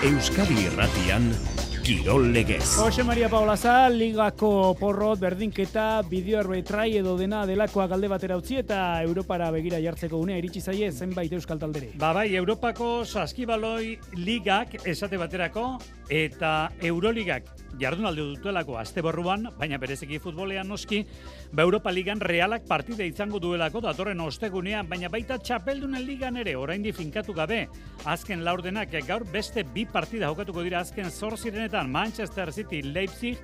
Euskadi Irratian Kirol Legez. Jose Maria Paulaza, ligako porrot, berdinketa, bideo arbitrai edo dena delakoak alde batera utzi eta Europara begira jartzeko unea iritsi zaie zenbait euskal taldere. Bai, Europako saskibaloi ligak esate baterako eta Euroligak jardunaldi dutelako astebarruan, baina bereziki futbolean noski, Europa Ligan Realak partida izango duelako datorren ostegunean, baina baita Txapeldunen Ligan ere oraindik finkatu gabe. Azken laurdenak gaur beste bi partida jokatuko dira azken 8 Manchester City Leipzig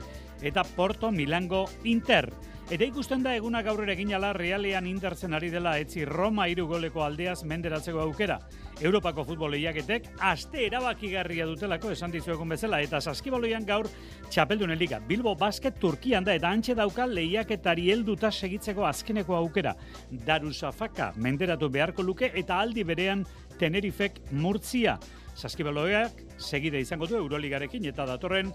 eta Porto Milango Inter. Eta ikusten da eguna gaurrera egin ala Realean Interzen ari dela etzi Roma 3 goleko aldeaz menderatzeko aukera. Europako futbol lehiaketek aste erabakigarria dutelako esan dizuegun bezala eta saskibaloian gaur Txapeldunen Liga. Bilbo Basket Turkian da eta antxe dauka lehiaketari helduta segitzeko azkeneko aukera. Darusafaka menderatu beharko luke eta aldi berean Tenerifek Murtzia. Saskibaloiak segide izango du Euroligarekin eta datorren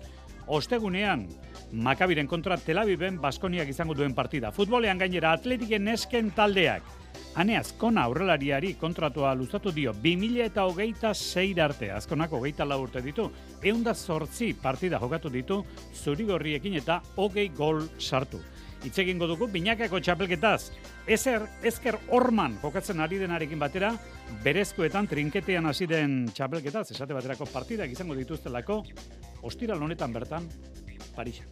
ostegunean Makabiren kontra Tel Aviven Baskoniak izango duen partida. Futbolean gainera Atletiken nesken taldeak. Ane Azkona aurrelariari kontratua luzatu dio 2026 arte. Azkonak 24 urte ditu. 108 partida jokatu ditu zurigorriekin eta 20 gol sartu. Hitz egingo dugu binakako txapelketaz. Ezker Orman jokatzen ari denarekin batera, berezkoetan trinketean hasi den txapelketaz, esate baterako partidak izango dituztelako, ostiral honetan bertan, Parisa.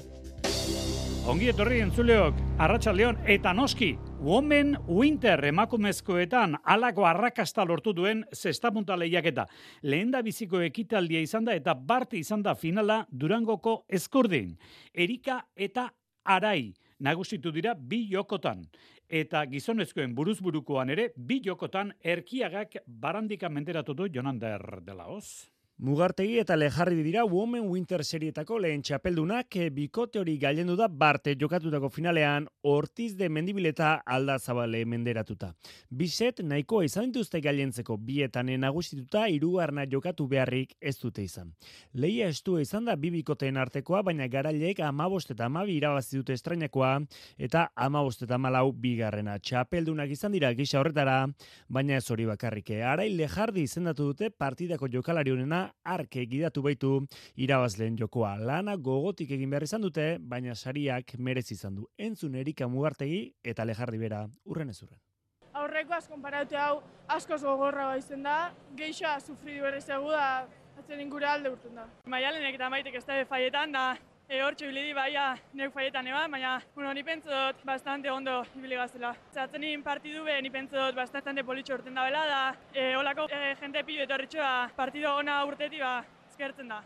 Ongi etorri entzuleok, arratsaldeon eta noski, Women Winter emakumezkoetan halako arrakasta lortu duen zestapunta lehiaketa. Lehendabiziko ekitaldia izan da eta bart izan da finala Durangoko Ezkurdin. Erika eta Arai nagusitu dira 2 jokotan. Eta gizonezkoen buruzburukoan ere 2 jokotan Erkiagak barandika menderatu du Jonander de la Hoz. Mugartegi eta Lejarri dira Women Winter serietako lehen txapeldunak bikote hori gailendu da barte jokatutako finalean Ortiz de Mendibileta Aldazabale menderatuta. Biset nahikoa izan dituzte gailentzeko bietan nagustituta hirugarrena jokatu beharrik ez dute izan. Lehia estua izan da 2 bikoteen artekoa, baina garaileek 15 eta 12 irabazi dute estrainakoa eta 15 eta 14 bigarrena. Txapeldunak izan dira gisa horretara, baina ez hori bakarrik. Arai Lejardi izendatu dute partidako jokalari honena arke gidatu baitu irabazleen jokoa. Lana gogotik egin behar izan dute, baina sariak merezi izan du. Entzun Erika Mugartegi eta Lejardi bera urren ez urren. Aurrekoaz konparatu hau askoz gogorra izen da, geixoa sufridu berrezegu da, atzen ingure alde urtun da. Maialenek eta maitek ez da faietan da, hortxe bilidi baia neuk faietan baina ni pentsot bastante ondo ibili gazela. Zatzenin partidu be, ni pentsot bastante politxo urten da bela da, holako jente pilo etorritxoa partidu ona urteti eskertzen da.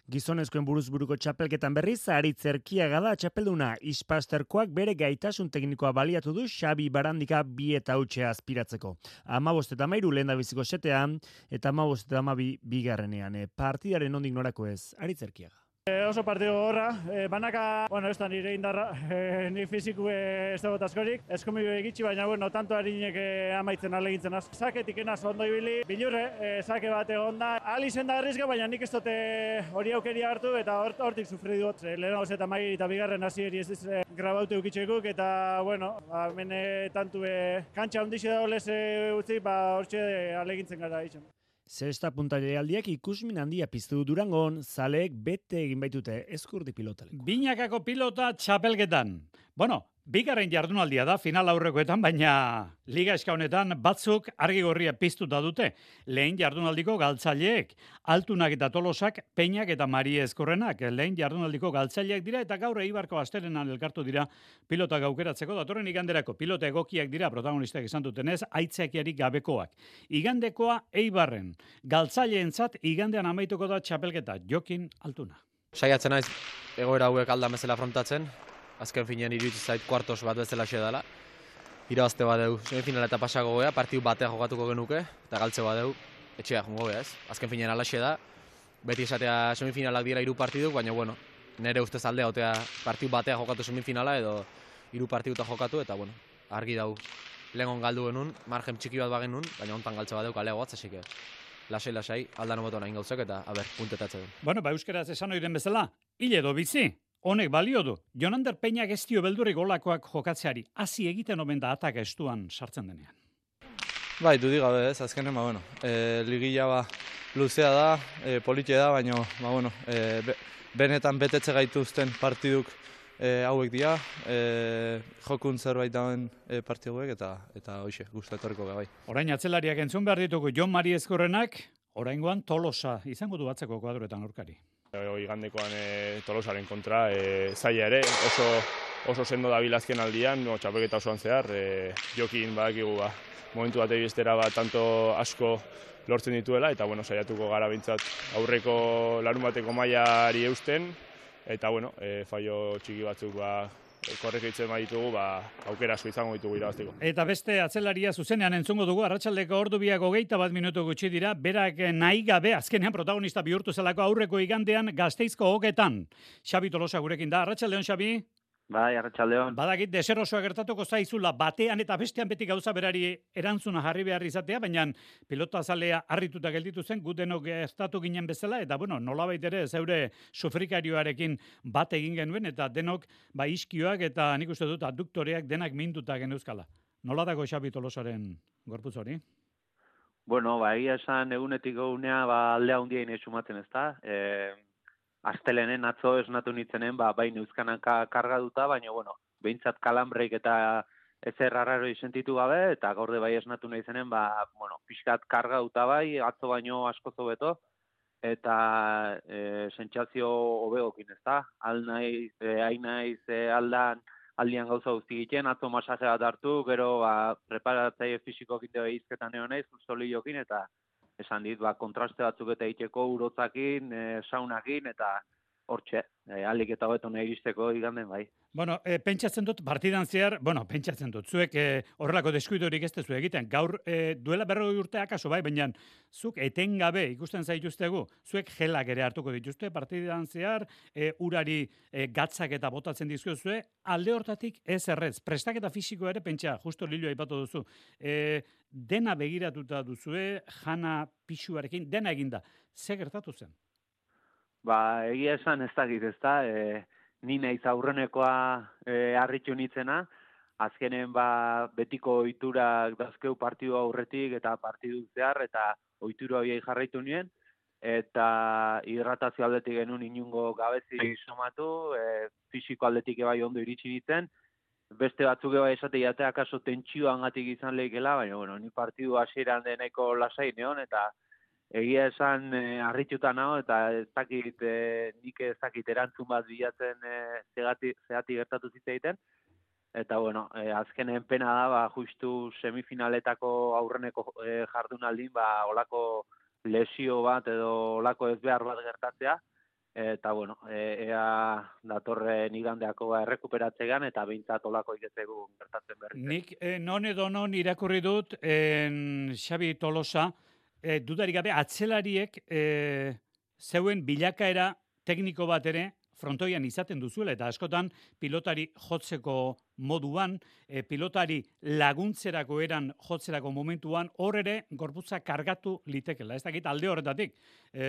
Gizonezkoen buruzburuko txapelketan berriz, Aritz Erkiaga da txapelduna. Ispasterkoak bere gaitasun teknikoa baliatu du Xabi Barandika 2 eta hutxea aspiratzeko. 15 eta 13 lehendabiziko setean eta 15 eta 12 bigarrenean. Partidaren nondik norako ez, Aritz Erkiaga. Oso partido gorra, banaka, ez da nire indarra, ni fiziku ez dago askorik, eskumiu egitsi, baina, tanto harinek amaitzen alegintzen az. Saketik enaz ondo ibili, bilurre, sake bat egon da, alizen da arrizga, baina nik ez dute hori aukeria hartu eta hortik sufri dut. Lehenagoz eta mai eta bigarren hasieri ez grabautu eukitxekuk, eta, hemen tantu kantxa ondixe da olez utzi, hortxe alegintzen gara izan. Zesta puntailealdiak ikusmin handia piztu Durangon, zaleek bete egin baitute Ezkurdi pilotaleko. Binakako pilota txapelketan. Bigarren jardunaldia da final aurrekoetan, baina liga eska honetan batzuk argi gorria piztuta dute. Lehen jardunaldiko galtzaileek, Altunak eta Tolosak, Peñak eta Marie Ezkorrenak. Lehen jardunaldiko galtzaileak dira eta gaur Eibarko asterenan elkartu dira pilota gaukeratzeko. Datorren iganderako pilota egokiak dira protagonistak esan dutenez, aitzakiarik gabekoak. Igandekoa Eibarren. Galtzaileentzat igandean amaituko da txapelketa. Jokin Altuna. Saiatzen naiz egoera hauek aldan bezala afrontatzen. Azken finean iruditzen zait kuartos bat bezala xe dela. Irabazte badeu, semifinala eta pasako goea, partiu batea jokatuko genuke, eta galtze badeu, etxea jongo gea ez. Azken finean alaxe da, beti esatea semifinalak dira 3 partiduk, baina nire ustez aldea otea partiu batea jokatu semifinala edo 3 partiduta jokatu, eta argi dau. Lehengon galdu genuen, margen txiki bat bagenun, baina hontan galtze badeu kalego atzasik. Lasai, aldan oboto nahin gauzak eta, puntetatzen duen. Euskaraz esan oiren bezala, hil edo bizi. Honek balio du. Jonander Peñak ez dio beldurri golakoak jokatzeari. Hasi egiten omen da ataka estuan sartzen denean. Bai, dudik gabe ez, azkenen, ligila luzea da, politia da, baina benetan betetze gaituzten partiduk hauek dira, jokun zerbait dauen partiduek eta hoxe, gustatoriko bai. Orain atzelariak entzun behar ditugu Jon Mari Ezkurrenak, oraingoan Tolosa izango du atzeko kuadroetan aurkari. Igandekoan Tolosaren kontra, zaila ere, oso sendo da bilazken aldian, txapelketa osoan zehar, jokin badakigu momentu batei bestera tanto asko lortzen dituela, eta saiatuko gara bintzat aurreko larun bateko mailari eusten, eta fallo txiki batzuk korrekitzen baditugu, aukera asko izango ditugu irabazteko. Eta beste atzelaria zuzenean entzungo dugu, arratsaldeko ordu biak 21 minutu gutxi dira, berak nahi gabe azkenean protagonista bihurtu zelako aurreko igandean Gasteizko Oketan. Xabi Tolosa gurekin da, arratsaldeon Xabi? Bai, arratsaldeon. Badakit deserosoa gertatuko zaizula batean eta bestean beti gauza berari erantzuna jarri behar izatea, baina pilota zalea harrituta gelditu zen, gu denok gertatu ginen bezala, eta nolabait ere zeure sufrikarioarekin bat egin genuen, eta denok iskioak eta nik uste dut adduktoreak denak minduta geneuzkala. Nola dago Xabi Tolosaren gorputz hori? Egia esan egunetik egunea aldea hundia ine sumatzen, ezta? Astelenen atzo esnatu nitzenen, bai neuzkanan karga duta, baina, behintzat kalambreik eta ezer arraro sentitu gabe, eta gaurde bai esnatu nahi zenen, pixkat karga duta bai, atzo baino asko zobeto, eta sentsazio hobegokin, ezta? Hain naiz aldian gauza guzti egiten, atzo masaje bat hartu, gero preparatzaile fisikokin deo izketan egon naiz, soliokin, eta esan dit, kontraste batzuk eta egiteko urotzakin, saunakin, eta hortxe, alik eta hobeto nahi iristeko iganden bai. Pentsatzen dut, partidan zehar, pentsatzen dut, zuek horrelako deskuidorik ez tezu egiten, gaur duela 40 urte akaso bai, baina zuk etengabe ikusten zaituztegu, zuek gelak ere hartuko dituzte, partidan zehar, urari gatzak eta botatzen dizkiozue, alde hortatik ez errez, prestaketa fisiko ere pentsa, justo Lillo aipatu duzu, dena begiratuta duzue, jana pixuarekin, dena eginda, ze gertatu zen? Egia esan ez dakit, ez da, ni naiz aurrenekoa harritu nitzena, azkenen betiko ohiturak dazkeu partidu aurretik eta partidu zehar, eta ohitura horiei jarraitu nien, eta hidratazio aldetik genuen inungo gabezi somatu, fisiko aldetik bai ondo iritsi ditzen, beste batzuk bai esate jatea akaso tentsioan gatik izan lehikela, baina ni partidu hasieran deneko lasai neon, eta egia esan harrituta nago, eta nik ez dakit erantzun bat bilatzen zehati gertatu zitzaiten. Eta, azkenen pena da, justu semifinaletako aurreneko jardunaldin, olako lesio bat edo olako ezbehar bat gertatzea. Eta, ea datorren igandeako errekuperatzegan, eta behintzat olako iketzegu gertatzen berri. Nik non edo non irakurri dut, Xabi Tolosa, dudarik gabe, atzelariek zeuen bilakaera tekniko bat ere frontoian izaten duzuela, eta askotan pilotari jotzeko moduan, pilotari laguntzerako eran jotzerako momentuan, hor ere gorputza kargatu litekela. Ez dakit alde horretatik,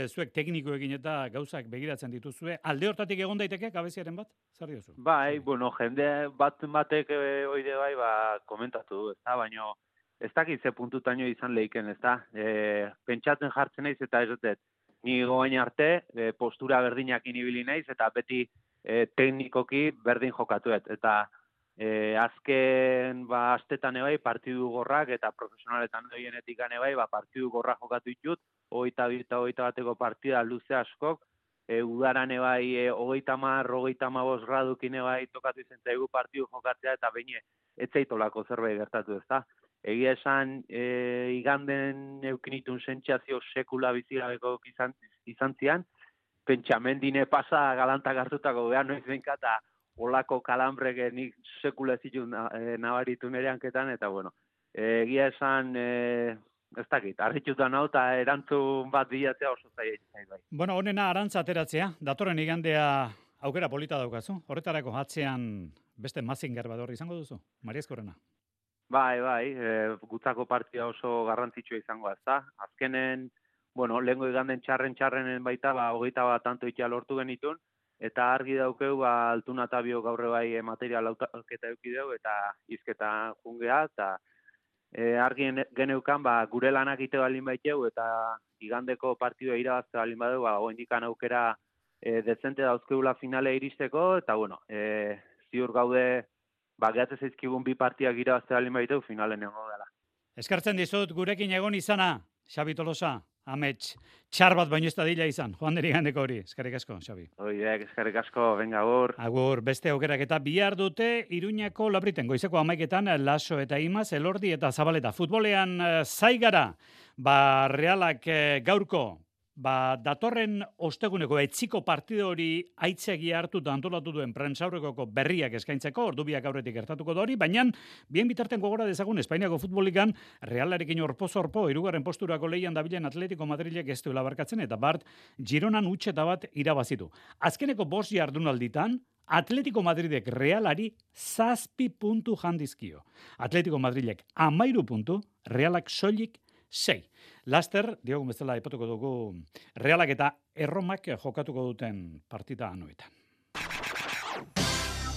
zuek teknikoekin eta gauzak begiratzen dituzue, alde horretatik egon daiteke gabeziaren bat? Zer diozu? Bai, jende batek oide bai, komentatu du, baina ez dakit ze puntutaino izan lehiken, ez da? Pentsatzen jartzen naiz eta ez dut, ni goain arte, postura berdinak inibili naiz, eta beti teknikoki berdin jokatuet. Eta azken astetan ebai partidu gorrak, eta profesionaletan doienetik gane bai, partidu gorrak jokatu ditut, 22 eta 21 partida luze askok, udaran ebai 30-35 gradukin ebai tokatu izan zaigu partidu jokatzea, eta behin etzaitolako zerbait gertatu, ez da? Egia esan, iganden eukinitun sentsazio sekula bizigabeko izan zian, pentsamendine pasa galantak hartutako behar noiz benka, eta olako kalambrek nik sekula ez ditun nabaritu nire hanketan, eta egia esan, ez dakit, harrituta nau, eta erantzun bat bilatzea oso zaila bai. Honena arantza ateratzea, datorren igandea aukera polita daukazu, horretarako atzean beste Mazinger bador izango duzu, Maria Ezkurrena. Bai, gutzako partida oso garrantzitsua izango da. Azkenen, lehengo iganden txarrenen baita, 21 tanto itea lortu genitun, eta argi daukeu, Altuna eta Bio gaurre bai material auketa eukideu, eta izketa jungea, eta argi geneukan, gure lanak ite balin baiteu, eta igandeko partidua irabazte balin badeu, oraindikan aukera dezente dauzkeula finale iristeko, eta bueno, ziur gaude, gehatzen zaizkigun bi partidak irabazte balin baiteu, finalen egongo dela. Eskartzen dizut gurekin egon izana, Xabi Tolosa, amets, txar bat baino ez da dila izan, joan deri gandeko hori, eskerrik asko, Xabi. Oidek, eskerrik asko, venga, agur. Agur, beste aukerak eta bihar dute Iruñako Labriten, goizeko 11etan Laso eta Imaz, Elordi eta Zabaleta. Futbolean zaigara, Realak gaurko, datorren osteguneko etziko partido hori aitzegi hartuta antolatu duen prentsaurrekoko berriak eskaintzeko, ordubiak aurretik gertatuko da hori, baina bien bitarten gogora dezagun Espainiako futbolikan Realarekin orpo-zorpo, 3. posturako lehian dabilen Atletico Madrilek ez duela barkatzen, eta Bart Gironan utxeta bat irabazitu. Azkeneko 5 jardunalditan, Atletico Madridek Realari 7 puntu jandizkio. Atletico Madrilek 13 puntu, Realak soilik 6. Laster, diogun bezala aipatuko dugu Realak eta Erromak jokatuko duten partida anuetan.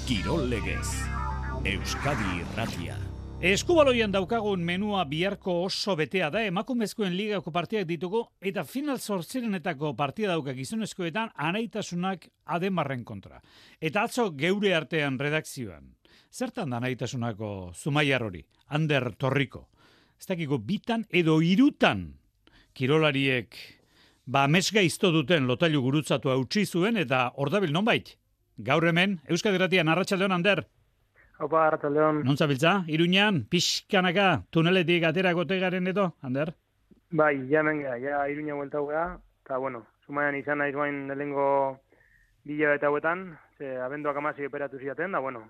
Kirol Legez, Euskadi Irratia. Eskubaloian daukagun menua biharko oso betea da, emakumezkoen ligako partidak ditugu, eta final zortzirenetako partida dauka gizonezkoetan anaitasunak Ademarren kontra. Eta atzo geure artean redakzioan. Zertan da anaitasunako Zumaiar hori? Ander Torriko. Ez dakiko bitan edo 3 kirolariek mesga izto duten lotailu gurutzatu hautsi zuen eta ordabil nonbait. Gaur hemen, Euskadi Irratian, arratsaldeon, Ander. Opa, arratsaldeon. Non zabiltza? Iruñan, pixkanaka, tuneletik aterako tegaren edo, Ander? Bai, ja menga, ja Iruña buelta hugea, eta bueno, Zumaian izan naiz bain lehengo 2 hilabete hauetan, abenduak 16 operatu ziaten, da bueno,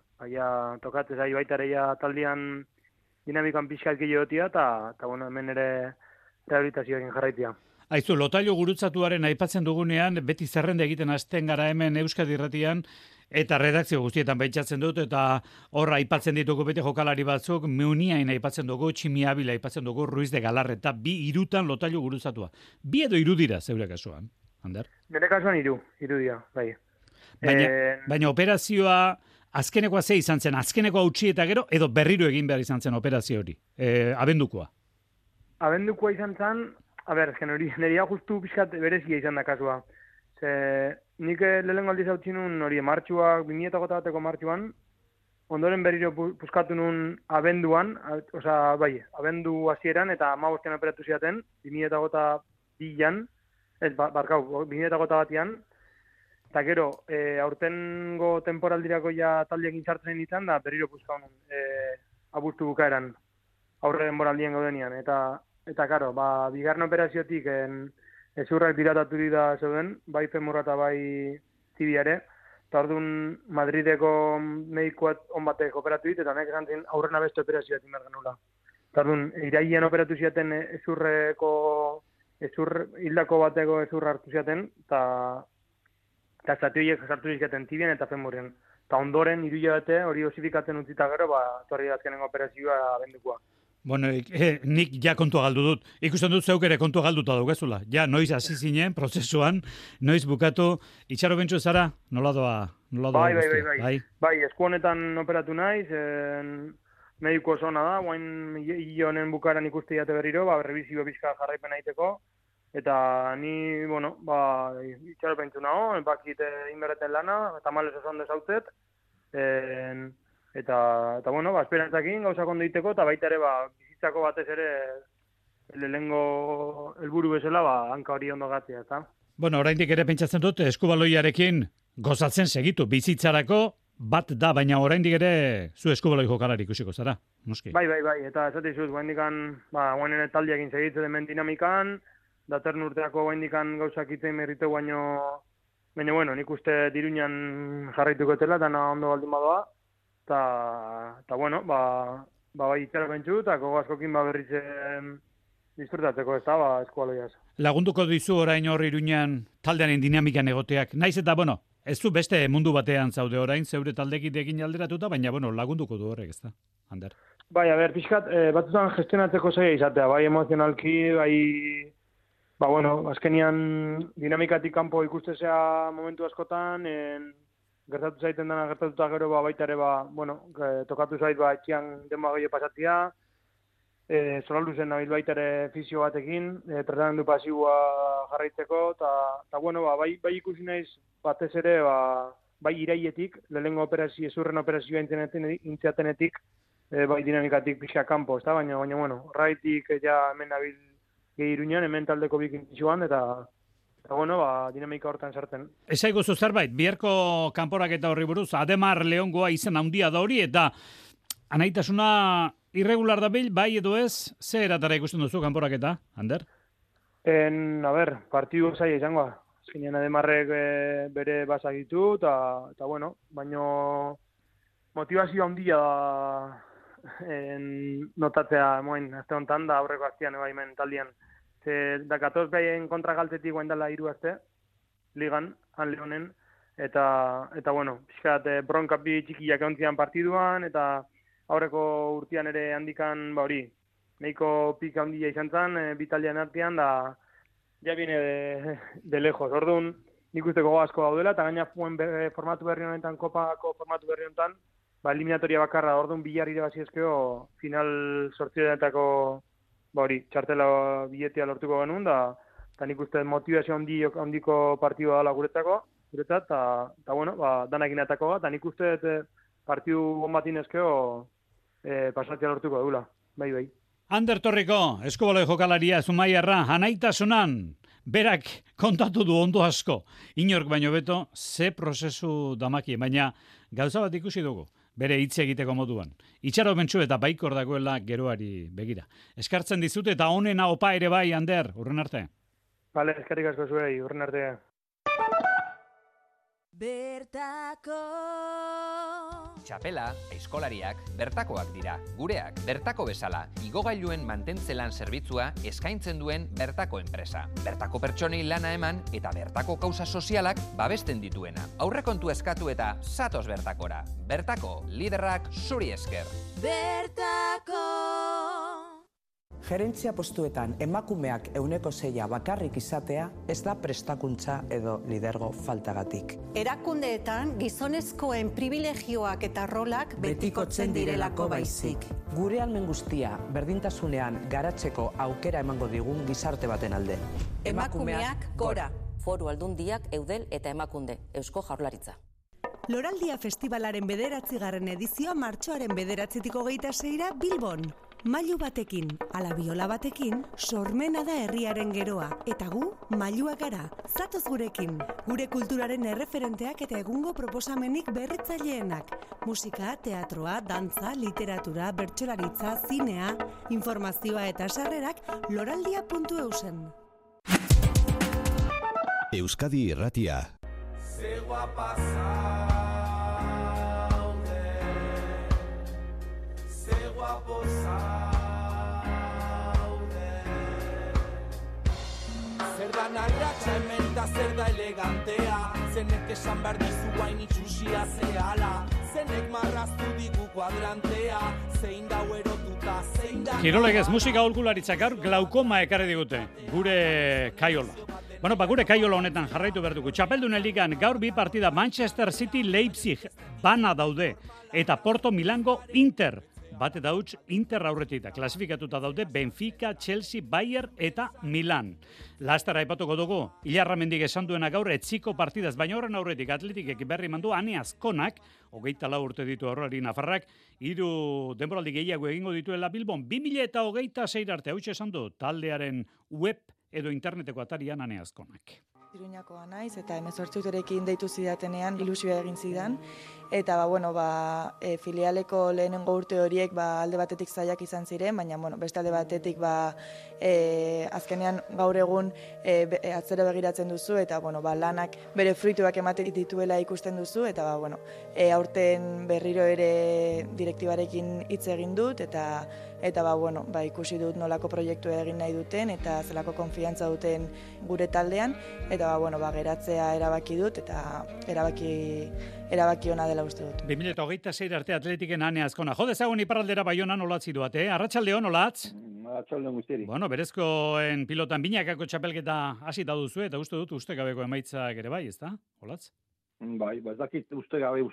tokatzez ahi baitareia taldean dinamikan pixkat giliotia, eta bueno, hemen ere rehabilitazioekin jarraitia. Aizu, lotailu gurutzatuaren aipatzen dugunean, beti zerrenda egiten hasten gara hemen Euskadi Irratian, eta redakzio guztietan baitzatzen dut, eta horra aipatzen ditugu bete jokalari batzuk, Meuniain aipatzen dugu, Tximiabila aipatzen dugu, Ruiz de Galarreta, 2 lotailu gurutzatua. 2 edo 3 dira, zeure kasuan, Ander? Nire kasuan 3 dira, bai. Baina operazioa, azkenekoa ze izan zen, azkeneko hautsi eta gero, edo berriro egin behar izan zen operazio hori, abendukoa? Abendukoa izan zen, neria justu pixkat berezia izan da kasua. Nik lehenengo aldiz hautsi nun hori martxuak, 2008ko martxuan, ondoren berriro puskatu nun abenduan, abendu hasieran eta 15ean operatu ziaten, 2008an, 2008an, eta gero, aurtengo temporaldirako ja taldeekin sartzen nintzen, da berriro puskau nun, abuztu bukaeran, aurre denboraldien gaudenian, eta karo, bigarren operaziotik ezurrak diratatu dira zeuden, bai femurra eta bai tibiare, eta orduan Madrideko medikoat on batek operatu dit, eta nek esan zen aurrena beste operazioa timar genula. Eta orduan, irailean operatu ziaten hildako bateko ezurra hartu ziaten, eta zatioiek sartu zizkaten tibian eta femurren. Eta ondoren, 3 hilabete hori osifikatzen utzita gero, torri azkenengo operazioa abendukoa. Bueno, nik ja kontua galdu dut. Ikusten dut zeuk ere kontua galduta daukazula. Ja, noiz hasi zinen, prozesuan, noiz bukatu. Itxaro bentsu zara, nola doa? Bai, esku honetan operatu naiz, mediko zona da, guain hile honen bukaran ikuste jate berriro, rebizio bizka jarraipen aiteko, eta ni, bueno, itxaro bentsu nago, bakit inberreten lana, eta males osan dezautzet, eta bueno, esperantzakin gauzak ondo egiteko, eta baita ere, bizitzako batez ere, lehengo helburu bezala, hanka hori ondo gatzea, eta? Bueno, oraindik ere pentsatzen dut, eskubaloiarekin gozatzen segitu, bizitzarako bat da, baina oraindik ere zu eskubaloi jokalari ikusiko zara, noski? Bai, eta esate izuz, guainen taldiakin segitzen hemen dinamikan, datorren urteako guaindikan gauzak itzen merritu baino, bueno, nik uste Iruñan jarraituko etela, eta ondo baldin badoa, eta bueno, bai itxara bentsu, eta askokin berritzen disfrutatzeko ez da, eskualoiaz. Lagunduko dizu orain hor Iruñan taldearen dinamikan egoteak. Naiz eta, bueno, ez du beste mundu batean zaude orain, zeure taldekidekin alderatuta, baina, bueno, lagunduko du horrek, ez da, Ander? Bai, pixkat, batzutan gestionatzeko zaila izatea, bai emozionalki, bueno, azkenian dinamikatik kanpo ikustezea momentu askotan, gertatu zaiten dena gertatuta gero baita ere, bueno, tokatu zait etxean denba gehiago pasatia, Solalduzen nabil baita ere fisio batekin, tratamendu pasiboa jarraitzeko, eta bueno, bai ikusi naiz batez ere, bai iraietik, lehenengo ezurren operazioa intziatenetik, bai dinamikatik pixka kanpo, ezta? Baina, bueno, horraitik ja hemen nabil gehi Iruñan, hemen taldeko bikin joan, eta bueno, dinamika hortan sartzen. Ez aiguzu zerbait, biharko kanporaketa horri buruz, Ademar Leongoa izen handia da hori, eta anaitasuna irregular da bil, bai edo ez, ze eratara ikusten duzu kanporaketa, Ander? Partidu zaila izangoa. Azkenean Ademarrek bere basak ditu, eta bueno, baino motivazio handia notatzea moen, azte honetan da aurreko aztean ebaimen taldian. Dakatoz behaien kontra galtetik guain dela 3 aste, ligan, han lehonen, eta bueno, pixkat bronka bi txikiak egontzian partiduan, eta aurreko urtean ere handikan, hori, nahiko pika handia izan zen, bitalian artean, da ja viene de lejos. Orduan, nik usteko asko daudela, eta gaina formatu berri honetan, kopako formatu berri honetan, eliminatoria bakarra, orduan bilar irabazi ezkeo, final sortzioetako, hori, txartela biletea lortuko genuen, eta nik uste motivazio handiko partidua dela guretzat, eta bueno, danak inatako, eta nik uste partidu bombatin ezkeo pasatzea lortuko dula, bai. Ander Torriko, eskubaloi jokalaria Zumaiarra, anaitasunan, berak kontatu du ondo asko. Inork baino beto, ze prozesu damaki, baina gauza bat ikusi dugu, bere hitz egiteko moduan. Itxaro bentsu eta baikor dagoela geroari begira. Eskartzen dizute eta honena opa ere bai, Ander, urren arte. Bale, eskarrik asko zuei, urren arte. Bertako Txapela, aizkolariak, bertakoak dira. Gureak, bertako bezala, igogailuen mantentzelan zerbitzua eskaintzen duen bertako enpresa. Bertako pertsonei lana eman eta bertako kausa sozialak babesten dituena. Aurrekontu eskatu eta zatoz bertakora. Bertako, liderrak zuri esker. Bertako Gerentzia postuetan emakumeak 6% bakarrik izatea ez da prestakuntza edo lidergo faltagatik. Erakundeetan gizonezkoen privilegioak eta rolak betikotzen direlako baizik. Gure almen guztia berdintasunean garatzeko aukera emango digun gizarte baten alde. Emakumeak gora. Foru Aldundiak, Eudel eta Emakunde, Eusko Jaurlaritza. Loraldia Festivalaren 9. edizioa martxoaren 9-tik 26 Bilbon. Mailu batekin, ala biola batekin, sormena da herriaren geroa, eta gu, mailuak gara, zatoz gurekin. Gure kulturaren erreferenteak eta egungo proposamenik berritzaileenak. Musika, teatroa, dantza, literatura, bertsolaritza, zinea, informazioa eta sarrerak loraldia.eusen. Euskadi Irratia. Zegoa pasaude, zegoa posaude. Zer da narratxa hemen da zer da elegantea, zenek esan behar dizu guain itxusia zehala, zenek marraztu digu kuadrantea, zein da erotuta, zein da... Kirolegez musika aholkularitzak gaur glaukoma ekarri digute, gure kaiola. Bueno, gure kaiola honetan jarraitu behar dugu. Txapeldunen ligan gaur bi partida Manchester City Leipzig bana daude. Eta Porto Milango Inter. Bate dauts Inter aurretik da. Klasifikatuta daude Benfica, Chelsea, Bayern eta Milan. Lastara aipatuko dugu. Ilarramendik esan duena gaur etziko partidaz. Baina horren aurretik Atletikek berri mandu Ane Azkonak, 24 urte ditu horrari Nafarrak, 3 denboraldi gehiago egingo dituela Bilbon. 2026 arte, hau esan du taldearen web edo interneteko atarian Ane Azkonak. Iruñakoa naiz eta 18 urterekin deitu zidatenean ilusioa egin zidan eta filialeko lehenengo urte horiek alde batetik zailak izan ziren, baina beste alde batetik azkenean gaur egun atzera begiratzen duzu eta lanak bere fruituak ematen dituela ikusten duzu eta aurten berriro ere direktibarekin hitz egin dut eta ikusi dut nolako proiektua egin nahi duten eta zelako konfiantza duten gure taldean eta geratzea erabaki dut eta erabaki ona dela uste dut. 2026 arte Atletiken Ane Azkona. Jo dezagun iparraldera Baionan olatzi duate, Arratsaldeon olatz? Arratsaldeon guztieri. Bueno, berezkoen pilotan binakako txapelketa hasita duzu eta uste dut ustekabeko emaitzak ere bai, ezta? Olatz? Bai, ez dakit ustegabe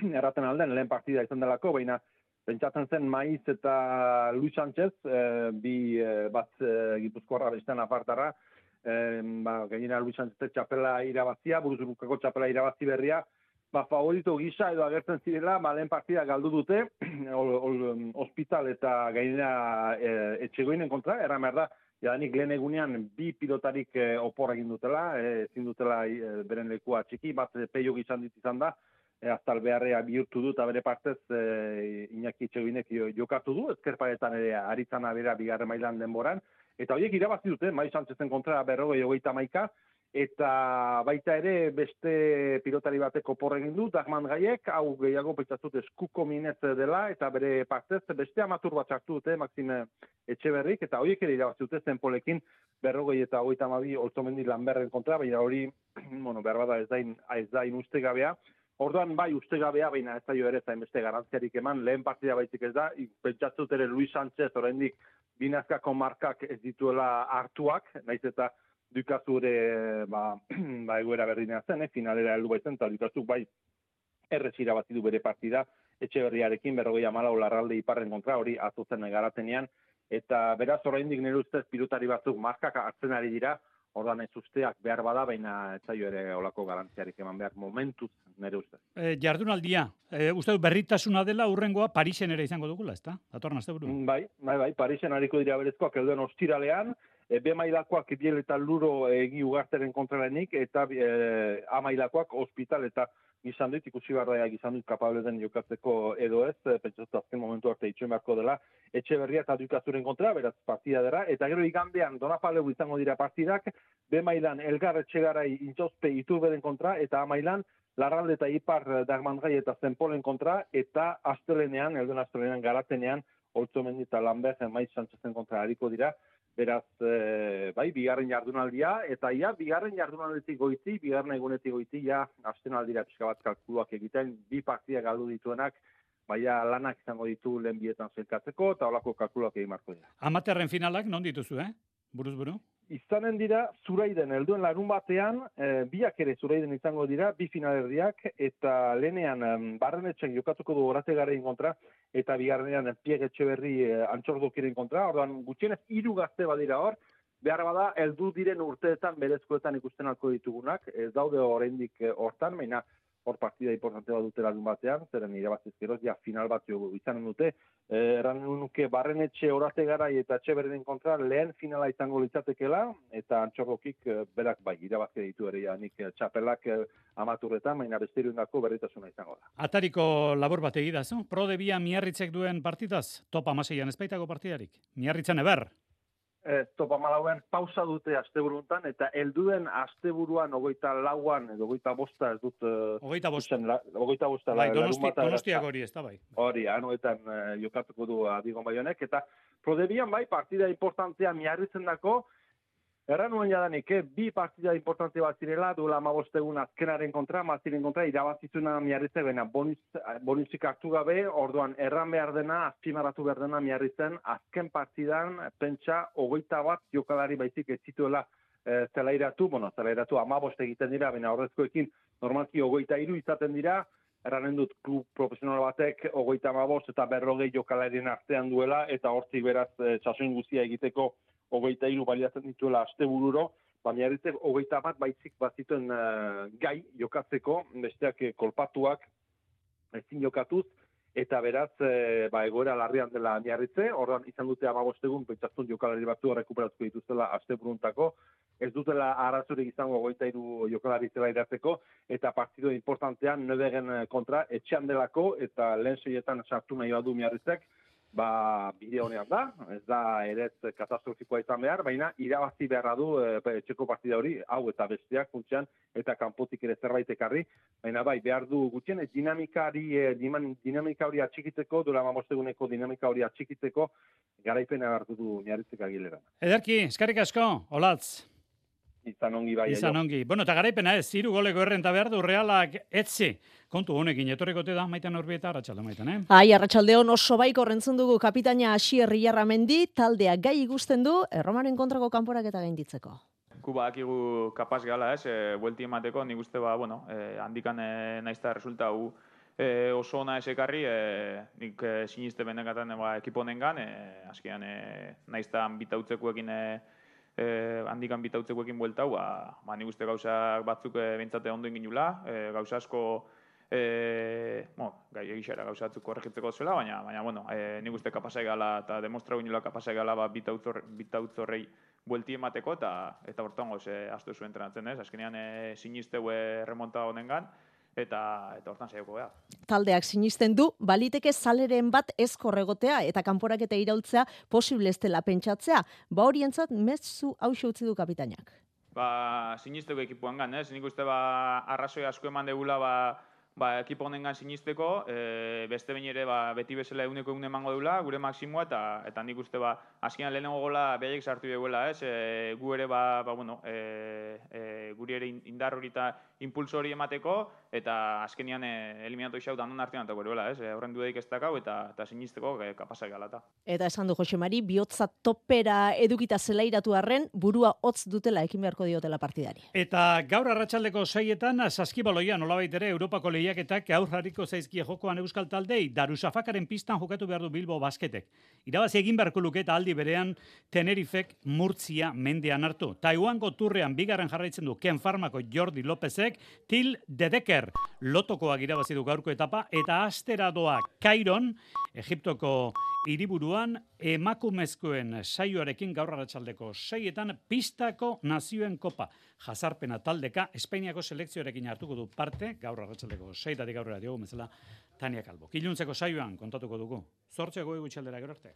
erraten alden lehen partida izan delako, baina pentsatzen zen Maiz eta Luis Sánchez, bat Gipuzkoarra bestean apartara, gainera Luis Sánchez txapela irabazia, buruzurukako txapela irabazi berria, favorito gisa edo agertzen zirela, lehen partida galdu dute, Hospital eta gainera Etxegoinen kontra, erran behar da, jadanik lehen egunean bi pilotarik opor egin dutela, ezin dutela beren lekua txiki, bat peio gizan izan da, aztal beharrea bihurtu du, eta bere partez Iñaki Etxegoinek jokatu du, ezkerparetan ere aritzana bera bigarren mailan denboran, eta horiek irabazi dute, Maiz Sánchezen kontra 40-31, eta baita ere beste pilotari batek opor egin du, Dagman Gaiek, hau gehiago pentsatzut eskuko minez dela, eta bere partez beste amatur bat sartu dute, Maxime Etxeberrik, eta horiek ere irabazi dute zenpolekin 40-32 Olzomendi Lanberren kontra, baina hori, behar bada ez da ustegabea. Orduan bai ustegabea, baina ez da jo ere zain beste garantziarik eman, lehen partida baizik ez da, pentsatzut ere Luis Sánchez oraindik binazkako markak ez dituela hartuak, naiz eta Dukazu ere egoera berdinea zen, finalera heldu baitzen, eta Dukazuk bai errez irabazi du bere partida, Etxeberriarekin 40-14 Larralde Iparren kontra, hori azotzen garatenean, eta beraz oraindik nire ustez pilotari batzuk markak hartzen ari dira, ordan ez usteak behar bada, baina ez zaio ere olako garantziarik eman behar momentuz nire ustez. Jardunaldia, uste du berritasuna dela urrengoa Parisen ere izango dugula, ezta? Datorren asteburu. Bai, Parisen hariko dira berezkoak elduen ostiralean, B mailakoak Biel eta Luro Egi Ugarteren kontralenik, eta A mailakoak Hospital eta izan dut, ikusi barraiak izan dut kapable den jokatzeko edo ez, pentsatu azken momentu arte itxoen beharko dela, Etxeberria eta Dukazuren kontra, beraz partida dela, eta gero igandean Donapaleu izango dira partidak, B mailan Elgar Etxegarai Intxospe Iturberen kontra, eta A mailan Larralde eta Ipar Dagmangai eta Zenpolen kontra, eta astelenean, elduen astelenean garatenean, Olzomendi eta Lambert Maiz Sánchezen kontra hariko dira, beraz, bigarren jardunaldia, eta bigarren jardunaldetik goiti, bigarren egunetik goiti, astenaldira pixka bat kalkuluak egiten, bi partidak galdu dituenak, lanak izango ditu lehen bietan zelkatzeko, eta holako kalkuluak egin marko dira. Amaterren finalak non dituzu, buruz buru? Izanen dira, Zuraiden, helduen larun batean, biak ere Zuraiden izango dira, bi finalerdiak, eta lehenean Barrenetxek jokatuko du Orategarein kontra, eta bigarrenean Pierre Etxeberri Antxordokiren kontra, orduan gutxienez 3 gazte badira hor, behar bada, heldu diren urteetan berezkoetan ikusten alko ditugunak, ez daude oraindik hortan, baina hor partida importante bat dute larun batean, zeren irabazizkeroz, final bat izanen dute, erran nuke Barrenetxe Orategarai eta Etxeberrien kontra lehen finala izango litzatekela, eta Antxorrokik berak irabazke ditu ere, nik txapelak amaturretan, baina besteriundako berritasuna izango da. Atariko labor bat egidaz, Prode Bia Miarritzek duen partidaz, top 16an ezpaitako partidarik, Miarritzen eber? Top 14an pausa dute asteburuntan, eta helduen asteburuan 24an edo 25 ez dut... 25 Donostiak hori ez da bai. Hori, anuetan jokatuko du Adigon Baionek, eta Prodebian partida importantea Miarritzen dako, erran nuen jadanik, bi partida importante bat zirela, duela 15 egun azkenaren kontra, Maziren kontra, irabazizuna Miarritzen, baina bonusik hartu gabe, orduan erran behar dena, azpimarratu behar dena Miarritzen, azken partidan, pentsa, 21 jokalari baizik ez zituela zelairatu 15 egiten dira, baina horrezkoekin normalki 23 izaten dira, erranen dut klub profesional batek 35 eta 40 jokalarien artean duela, eta hortzik beraz txasoin guztia egiteko 23 baliatzen dituela astebururo, Miarritzek 21 baizik bazituen gai jokatzeko, besteak kolpatuak ezin jokatuz, eta beraz, egoera larrian dela Miarritze, horren izan dute 15 egun, pentsatzen jokalari batzu rekuperatuko dituztela asteburuntako, ez dutela arazorik izango 23 jokalari zela iratzeko, eta partido importantean Növegen kontra etxean delako, eta lehen seietan sartu nahi badu Miarritzek, bide honean da, ez da ere katastrofikoa izan behar, baina irabazi beharra du etxeko partida hori, hau eta besteak funtsean, eta kanpotik ere zerbait ekarri, baina behar du gutxien, dinamika hori atxikitzeko, duela 15 eguneko dinamika hori atxikitzeko, garaipena hartu du Miarritzek Agilera. Ederki, eskerrik asko, Olatz. Izan ongi bai. Izan ongi. Bueno, eta garaipena ez, 3 goleko errenta behar du Realak etzi. Kontu honekin, etorrikote da, Maiten Urbieta, arratsalde Maiten, Arratsaldeon oso baiko rentzun dugu kapitaina Asier Illarramendi, taldea gai igusten du, Erromaren kontrako kanporaketa gainditzeko. Bakigu kapaz gala, buelti emateko, nik uste handikan naizta resulta oso ona esekarri, nik siniste benekatan ekipo honengan, azkenean naiztan bitautzekoekin handikan bitautzekoekin bueltau, nik uste gauza batzuk behintzate ondo inginula, gauza asko gai egixera gauza batzuk korregitzeko zela, baina nik uste kapasai gala eta demostrau inula kapasai gala bitautzorrei buelti emateko eta hortan goz astu zuen entrenatzen ez, azkenean sinisteu remonta honengan, eta hortan saioko beha. Taldeak sinisten du, baliteke zaleren bat ezkor egotea eta kanporak eta iraultzea posible ez dela pentsatzea. Horientzat mezu hauxe utzi du kapitainak. Sinisteko ekipuan gan, ez? Nik uste arrazoi asko eman degula ekipo honengan sinisteko, beste behin ere beti bezala eguneko emango deula, gure maksimoa, eta nik uste azkenean lehenengo gola behaiek sartu duela, ez? Gu ere, guri ere indar hori eta impulso hori emateko, eta azkenean eliminatu isau danon artean antako eruela, ez? Horren dudaik ez dakau, eta sinisteko kapasak galata. Eta esan du Jose Mari, bihotza topera edukita zelairatu arren, burua hotz dutela ekin beharko diotela partidari. Eta gaur arratsaldeko 6etan saskibaloia nolabait ere Europako lehiaketak aurrariko zaizkie jokoan euskal taldei, Darusafakaren pistan jokatu behar du Bilbo Basketek. Irabazi egin beharko luke eta aldi berean Tenerifek Murtzia mendean hartu. Taiwango turrean bigarren jarraitzen du Ken Farmako Jordi Lopezek, Til Dedeker lotokoak irabazi du gaurko etapa, eta asteradoa Kairon, Egiptoko hiriburuan emakumezkoen saioarekin gaur arratsaldeko 6etan pistako nazioen kopa. Jazarpena taldeka Espainiako selekzioarekin hartuko du parte, gaur arratsaldeko 6etatik aurrera diogu bezala Tania Kalbo. Iluntzeko saioan kontatuko dugu. 8 gutxi aldera gero arte.